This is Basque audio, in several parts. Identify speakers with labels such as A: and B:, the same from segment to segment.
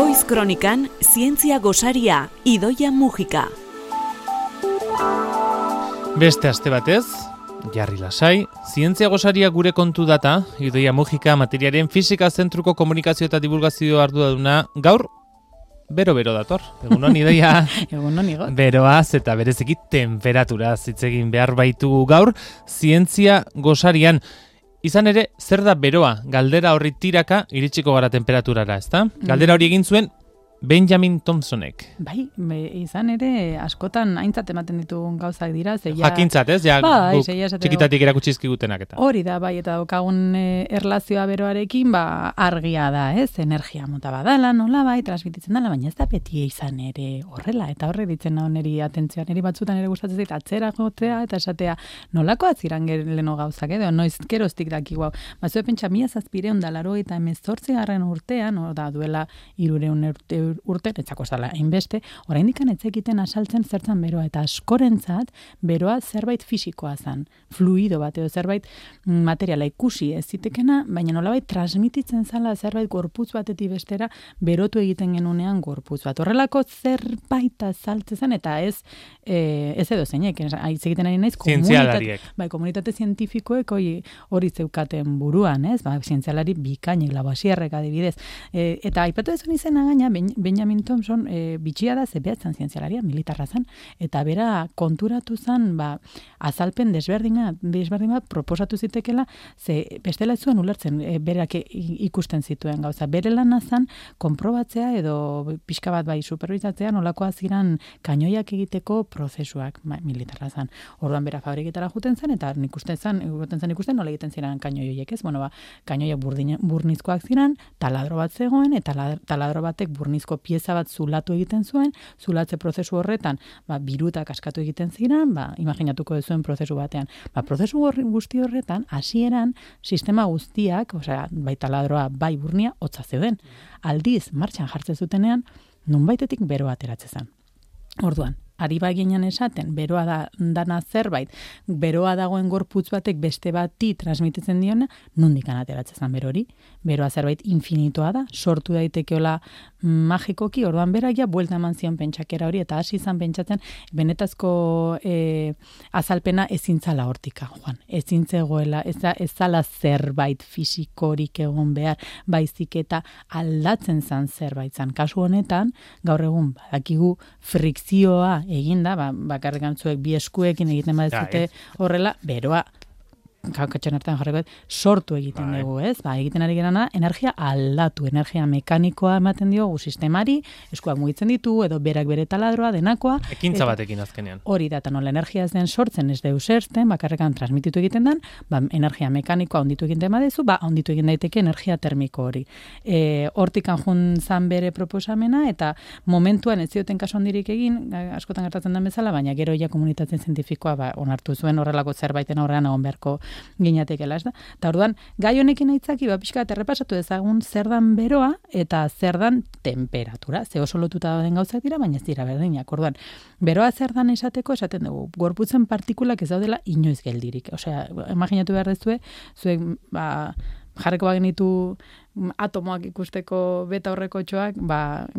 A: Goiz Kronikan, zientzia gosaria, Idoia Mujika.
B: Beste aste batez, jarri lasai, zientzia gosaria gure kontu data, Idoia Mujika materiaren fisika zentruko komunikazio eta divulgazio arduraduna gaur, bero dator. Egunon, Idoia.
C: Egunon, Igot.
B: Beroaz eta bereziki temperaturaz hitz egin behar baitugu gaur, zientzia gosarian. Izan ere, zer da beroa? Galdera horri tiraka iritsiko gara temperaturara, ezta? Galdera hori egin zuen Benjamin Thompsonek.
C: Bai, izan ere, askotan aintzat ematen ditugun gauzak dira.
B: Jakintzat, ez? Ja,
C: bai,
B: txikitatik erakutxizkigutenak eta.
C: Hori da, bai, eta daukagun erlazioa beroarekin, argia da, ez? Energia mota badala, nola bai, transmititzen dela, baina ez da beti izan ere horrela. Eta horre ditzen naho niri atentzioa, niri batzutan ere gustatzen zait, atzera jotzea eta esatea, nolako atziran leno gauzak, edo noiz geroztik dakigu hau. Bazue pentsa, 1788 urtean, da duela 300 urte, etzako zala hainbeste, oraindik etzekiten asaltzen zertzan beroa, eta askorentzat beroa zerbait fisikoa zen, fluido bat, edo zerbait materiala ikusi ez zitekena, baina nolabait transmititzen zala zerbait gorputz batetik bestera berotu egiten genunean gorputz bat. Horrelako zerbait azaltzen zen, eta ez edo zeinek, hitz egiten ari naiz, komunitate zientifikoek hori zeukaten buruan, ez? Zientzialari bikainek, Lavoisierrek adibidez. Eta aipatu dezun izena gaina, Benjamin Thompson bitxia da zebeatzen zientzialaria, militarra zen, eta bera konturatu zen azalpen desberdina proposatu zitekela, ze bestela ez zuen ulertzen berak ikusten zituen gauza. Bere lana zen konprobatzea edo pixka bat bai superbizatzea nolakoa ziren kainoiak egiteko prozesuak, militarra zen. Orduan bera fabriketara juten zen, eta ikusten nola egiten ziren kainoiek, ez? Kainoiak burnizkoak ziren, taladro bat zegoen, eta taladro batek burnizko pieza bat zulatu egiten zuen, zulatze prozesu horretan, birutak askatu egiten ziren, imaginatuko duzuen prozesu batean. Prozesu guzti horretan, hasieran sistema guztiak, bai taladroa, bai burnia, hotza zeuden. Aldiz, martxan jartzen zutenean, nonbaitetik beroa ateratzen zen. Orduan, ari baginen esaten, beroa dana zerbait, beroa dagoen gorputz batek beste bati transmititzen diona, nondik ateratzen zen berori. Beroa zerbait infinitoa da, sortu daitekeola magikoki, orduan berak buelta eman zion pentsakera hori, eta hasi izan pentsatzen, benetazko azalpena ezintzala hortika, Juan. Ezintzegoela, ez zala zerbait fisikorik egon behar, baizik eta aldatzen zan zerbait zan. Kasu honetan, gaur egun, badakigu frikzioa eginda, bakarrik antzuek bi eskuekin egiten badezute horrela, beroa, katxan hartan jarriko, sortu egiten dugu, ez? Egiten ari gerana, energia aldatu, energia mekanikoa ematen diogu sistemari, eskuak mugitzen ditu, edo berak bere taladroa, denakoa.
B: Ekintza batekin azkenean.
C: Hori da, eta nola energia ez den sortzen, ez deus ersten, bakarrekan transmititu egiten den, energia mekanikoa onditu egiten badezu, onditu egin daiteke energia termiko hori. Hortikan jun zan bere proposamena, eta momentuan ez zioten kasu handirik egin, askotan gertatzen den bezala, baina gero ja komunitatzen zientifikoa onartu zuen horrelako zerbaiten aurrean egon beharko ginatekela, ez da? Eta orduan, gai honekin aitzaki, pixka errepasatu ezagun zer dan beroa eta zer dan temperatura. Ze oso lotuta dauden gauzak dira, baina ez dira berdinak. Orduan, beroa zer dan esateko, esaten dugu, gorputzen partikulak ez daudela inoiz geldirik. Osea, imaginatu behar dezue, zuek, jarreko bagenitu atomoak ikusteko beta horreko txoak,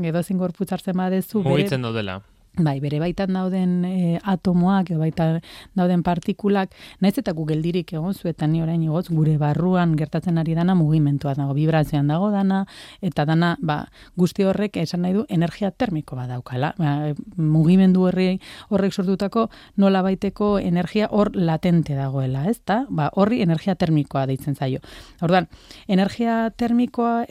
C: edozin gorputz hartzen badezu.
B: Mugitzen daudela.
C: Bere baitan dauden atomoak, edo baitan dauden partikulak, naiz eta gu geldirik egon zuetan ni orain igotz, gure barruan gertatzen ari dana mugimentua dago, vibrazioan dago dana, eta dana, guzti horrek esan nahi du energia termiko bat daukala. Mugimendu horrek sortutako nola baiteko energia hor latente dagoela, ez da? Horri energia termikoa deitzen zaio. Orduan, energia termikoa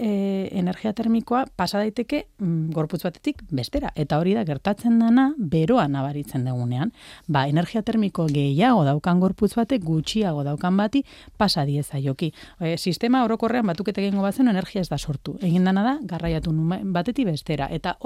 C: pasa daiteke gorputz batetik bestera, eta hori da gertatzen da beroa nabaritzen dugunean. Energia termiko gehiago daukan gorputz batek gutxiago daukan bati pasa diezaioki. Sistema orokorrean batuketa egingo bazen energia ez da sortu. Egin dana da garraiatu batetik bestera. Eta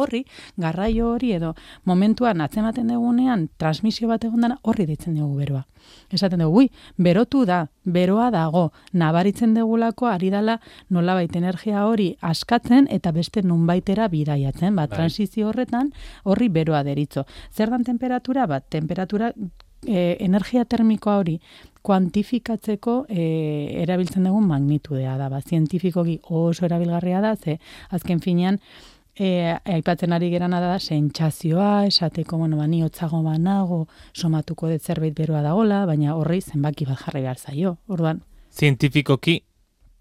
C: garraio hori edo momentuan atzematen dugunean transmisio bat egon dana horri deitzen dugu beroa. Esaten dugu, berotu da, beroa dago, nabaritzen dugulako ari dala nolabait energia hori askatzen eta beste nunbaitera bidaiatzen. Transizio horretan horri beroa deritzo. Zer dan temperatura? Temperatura energia termikoa hori kuantifikatzeko erabiltzen dugun magnitudea da. Zientifikoki oso erabilgarria da, ze azken finean aipatzen ari gerana da sentsazioa, esateko, ni hotzago banago, somatuko dut zerbait beroa dagola, baina horri zenbaki bat jarri behar zaio. Orduan,
B: zientifikoki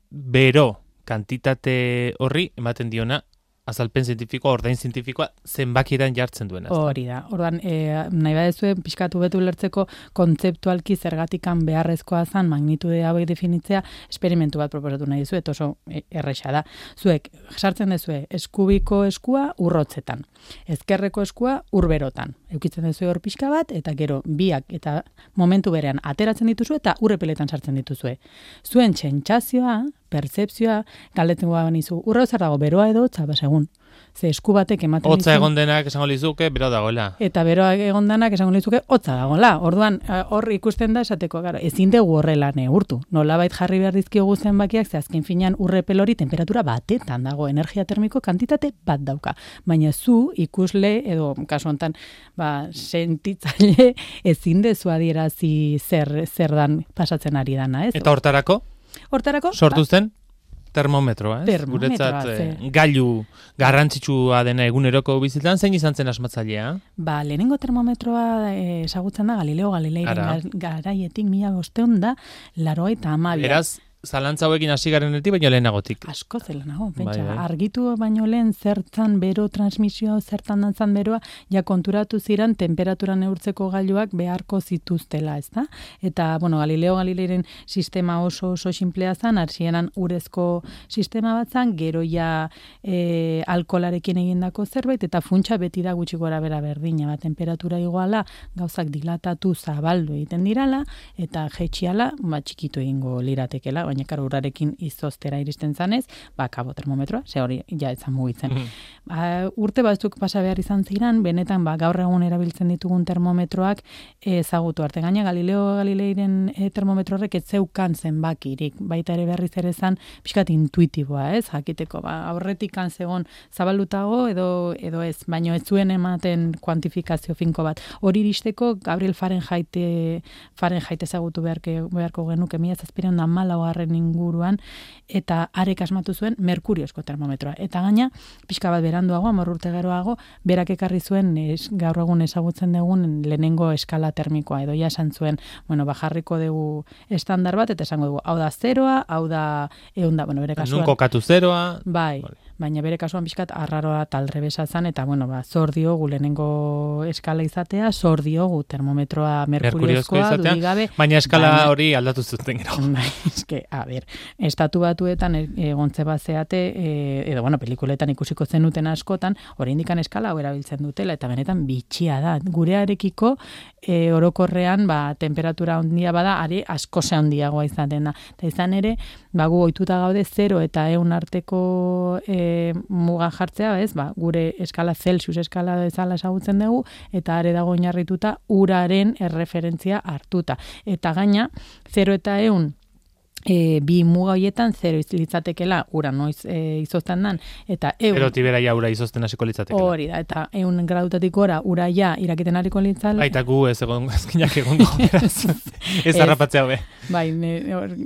B: bero kantitate horri ematen diona azalpen zientifikoa, ordain zientifikoa zenbakiran jartzen duena.
C: Hori da. Orduan, nahi badezue pixkatu betu lertzeko kontzeptualki zergatikan beharrezkoa zan magnitude hauek definitzea, esperimentu bat proposatu nahi dizuet, oso erresa da. Zuek, sartzen dezue, eskubiko eskua urrotzetan, ezkerreko eskua urberotan. Eukitzen dezue hor pixka bat, eta gero biak eta momentu berean ateratzen dituzue eta urrepeletan sartzen dituzue. Zuen sentsazioa, pertzepzioa, galdetzen banizu, urra zer dago, beroa edo hotza, segun. Ze esku batek ematen dizu.
B: Hotza egon denak esango lizuke, beroa dagoela.
C: Eta beroa egon denak esango lizuke, hotza dagoela. Orduan, hor ikusten da esateko, ezin dugu horrela neurtu. Nolabait jarri behar dizkiogu zenbakiak, ze azken finean urrepel hori temperatura batetan dago, energia termiko kantitate bat dauka. Baina zu ikusle, edo kasu honetan, sentitzaile ezin dezu adierazi zer dan pasatzen ari dana, ez?
B: Eta hortarako? Sortu zen termometroa, ez? Guretzat gailu garrantzitsua dena eguneroko bizitzan, zein izan zen asmatzailea?
C: Lehenengo termometroa ezagutzen da Galileo Galileiren garaietik 1582.
B: Beraz, zalantza hauekin hasi garenetik, baino lehenagotik.
C: Asko zelenago, pentsa. Argitu baino lehen zertan bero transmisioa, zertan dantzan beroa, konturatu ziren temperatura neurtzeko gailuak beharko zituztela, ezta? Eta, Galileo Galileiren sistema oso sinplea zan, hasieran urezko sistema bat zan, gero alkolarekin egindako zerbait, eta funtsa beti da gutxi gora bera berdina, temperatura iguala, gauzak dilatatu zabaldu egiten dirala, eta jetxiala, txikitu egingo liratekela, baina karo urarekin izoztera iristen zanez, kabo termometroa, ze hori etzan mugitzen. Urte batzuk pasa behar izan ziren, benetan gaur egun erabiltzen ditugun termometroak ezagutu arte. Gaina Galileo Galileiren termometroarrek ez zeukan zenbakirik, baita ere berriz ere zan pixkat intuitiboa, ez? Jakiteko, aurretik zegon zabalutago edo ez, baino ez zuen ematen kuantifikazio finko bat. Hori iristeko Gabriel Fahrenheit ezagutu beharko genuke 1714 inguruan, eta arek asmatu zuen merkuriozko termometroa. Eta gaina, pixka bat beranduago, 10 urte geroago, berak ekarri zuen gaur egun ezagutzen dugun lehenengo eskala termikoa, edo esan zuen, jarriko dugu estandar bat, eta esango dugu, hau da 0, hau da 100, bere kasuan.
B: Nun kokatu 0.
C: Bai, baina bere kasuan pixkat arraroa talrebesa zan, eta zor diogu lehenengo eskala izatea, zor diogu termometroa merkuriozkoa, dudigabe.
B: Baina eskala hori aldatu zuten gero.
C: Estatu Batuetan egontze bat zeate, edo pelikuletan ikusiko zenuten askotan, oraindikan eskala hau erabiltzen dutela, eta benetan bitxia da. Gurearekiko orokorrean temperatura handia bada, ari asko ze handiagoa izaten da. Eta izan ere, gu ohituta gaude 0 eta 100 arteko muga jartzea, gure eskala Celsius eskala bezala ezagutzen dugu, eta are dago oinarrituta uraren erreferentzia hartuta. Eta gaina, 0 eta 100 bi muga hoietan 0 litzatekela ura noiz izozten dan, eta 100...
B: Pero tibera ura izozten hasiko litzatekela.
C: Hori da, eta 100 gradutatik gora ura irakiten hariko litzala.
B: Baita gu ez ezkinak egongo, beraz. Ez harrapatzea hobe.
C: Bai,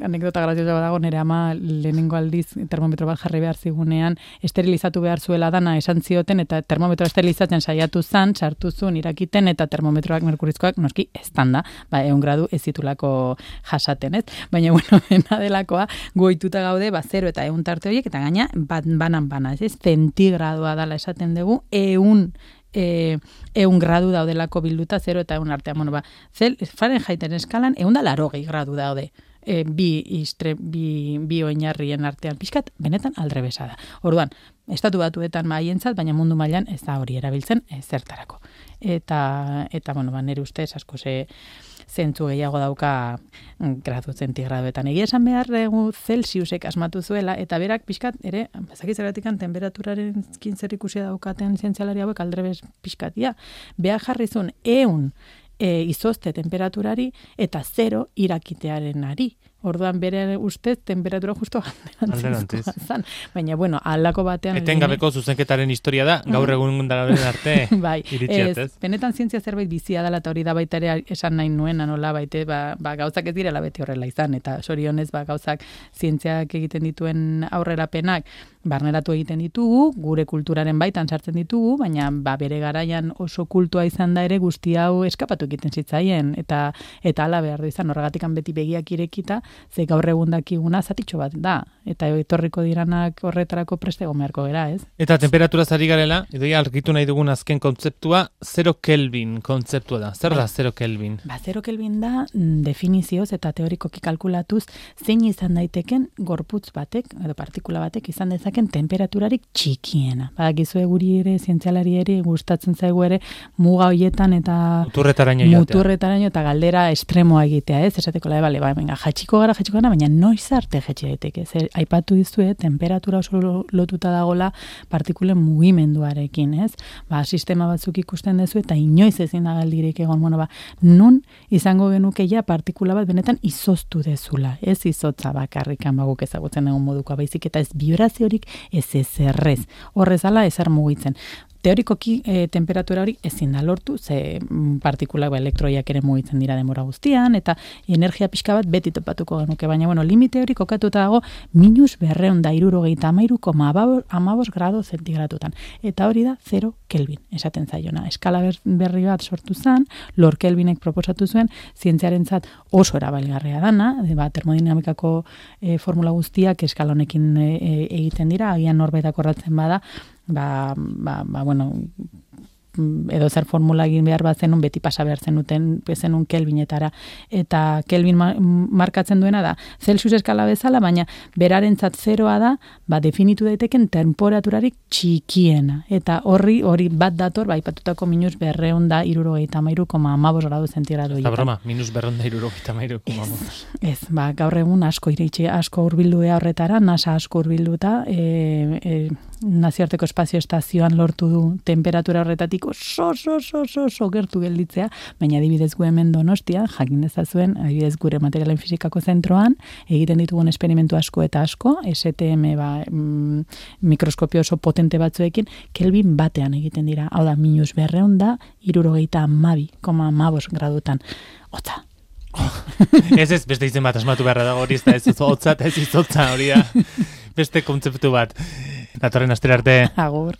C: anekdota graziosa dago, nire ama lehenengo aldiz termometro bat jarri behar zigunean, esterilizatu behar zuela dana esan zioten, eta termometro esterilizatzen saiatu zan, sartu zuen irakiten, eta termometroak merkurizkoak noski eztanda, 100 gradu ez zitulako jasaten, ez? Baina, delakoa, goituta gaude, 0 eta 100 tarte horiek, eta gaina, banan, ez? Zentigradoa dala esaten dugu, 100 gradu daudelako bilduta 0 eta 1 artean. Fahrenheiten eskalan 180 gradu daude. Bi oinarrien artean pixkat, benetan aldrebesa da. Orduan, Estatu Batuetan maientzat, baina mundu mailan ez da hori erabiltzen zertarako. Eta nire ustez, asko zentzu gehiago dauka gradu zentigradoetan. Egia esan behar dugu Celsiusek asmatu zuela, eta berak pixkat, ere, zakitzeratikan temperaturaren zer ikusia daukaten zientzialari hauek aldrebes pixkatia. Beha jarrizun 100 izozte temperaturari eta 0 irakitearen ari. Orduan bere ustez temperatura justo
B: alderantziz.
C: Baina, bueno, aldako batean...
B: Etengabeko zuzenketaren historia da, gaur egun daren arte
C: bai,
B: iritsiatez.
C: Benetan zientzia zerbait bizia dela, eta hori da baita ere esan nahi nuena, nola baite, gauzak ez direla beti horrela izan, eta sorionez, gauzak zientziak egiten dituen aurrerapenak, barneratu egiten ditugu, gure kulturaren baitan sartzen ditugu, baina bere garaian oso kultua izan da ere guzti hau eskapatu egiten zitzaien, eta hala behar du izan, horregatikan beti begiak irekita, ze gaur egun dakiguna zatitxo bat da, eta etorriko diranak horretarako preste gomerko gera, ez?
B: Eta temperatura zari garela, Idoia argitu nahi dugun azken kontzeptua, 0 Kelvin kontzeptua da. Zer da 0 Kelvin? 0
C: Kelvin da definizioz eta teorikoki kalkulatuz zein izan daiteken gorputz batek, edo partikula batek izan dezaken temperaturarik txikiena. Badakizue guri ere, zientzialari ere, gustatzen zaigu ere, muga hoietan eta muturretaraino eta galdera estremoa egitea, ez? Esateko venga, jaitsiko gara, baina noiz arte jaitsi daiteke. Zer, aipatu dizue, temperatura oso lotuta dagola partikulen mugimenduarekin, ez? Sistema batzuk ikusten dezu eta inoiz ezin da galdirik egon, nun izango genuke ja partikula bat benetan izoztu dezula, ez izotza bakarrikan guk ezagutzen egon modukoa, baizik eta ez vibraziorik, ez ezerrez. Horrezala ezer mugitzen. Teorikoki temperatura hori ezin da lortu, ze partikulak elektroiak ere mugitzen dira denbora guztian, eta energia pixka bat beti topatuko genuke, baina limite hori kokatuta dago -273,15 grado zentigratutan. Eta hori da 0 Kelvin, esaten zaiona. Eskala berri bat sortu zen, Lord Kelvinek proposatu zuen, zientziarentzat oso erabilgarria dana, termodinamikako formula guztiak eskala honekin egiten dira, agian norbaitak orratzen bada, edo zer formula egin behar bat zenun, beti pasa behar zenun Kelvinetara. Eta Kelvin markatzen duena da, Celsius eskala bezala, baina berarentzat 0a da, definitu daiteken temperaturarik txikiena. Eta horri bat dator, aipatutako -273,15 gradu zentigrado.
B: Eta broma, -273,15.
C: Ez, gaur egun asko iritsi, asko hurbildu horretara, NASA asko hurbilduta, nazioarteko espazio estazioan lortu du temperatura horretatik oso gertu gelditzea, baina adibidez gu hemen Donostian, jakin dezazuen, adibidez gure materialen fizikako zentroan, egiten ditugun esperimentu asko eta asko, STM mikroskopio oso potente batzuekin, Kelvin batean egiten dira. Hau da, -272,15 gradutan. Hotza.
B: Ez, beste izen bat asmatu beharra dago hori, ez hotza eta ez izotza hori da. Beste kontzeptu bat. Datorren astera arte.
C: Agur.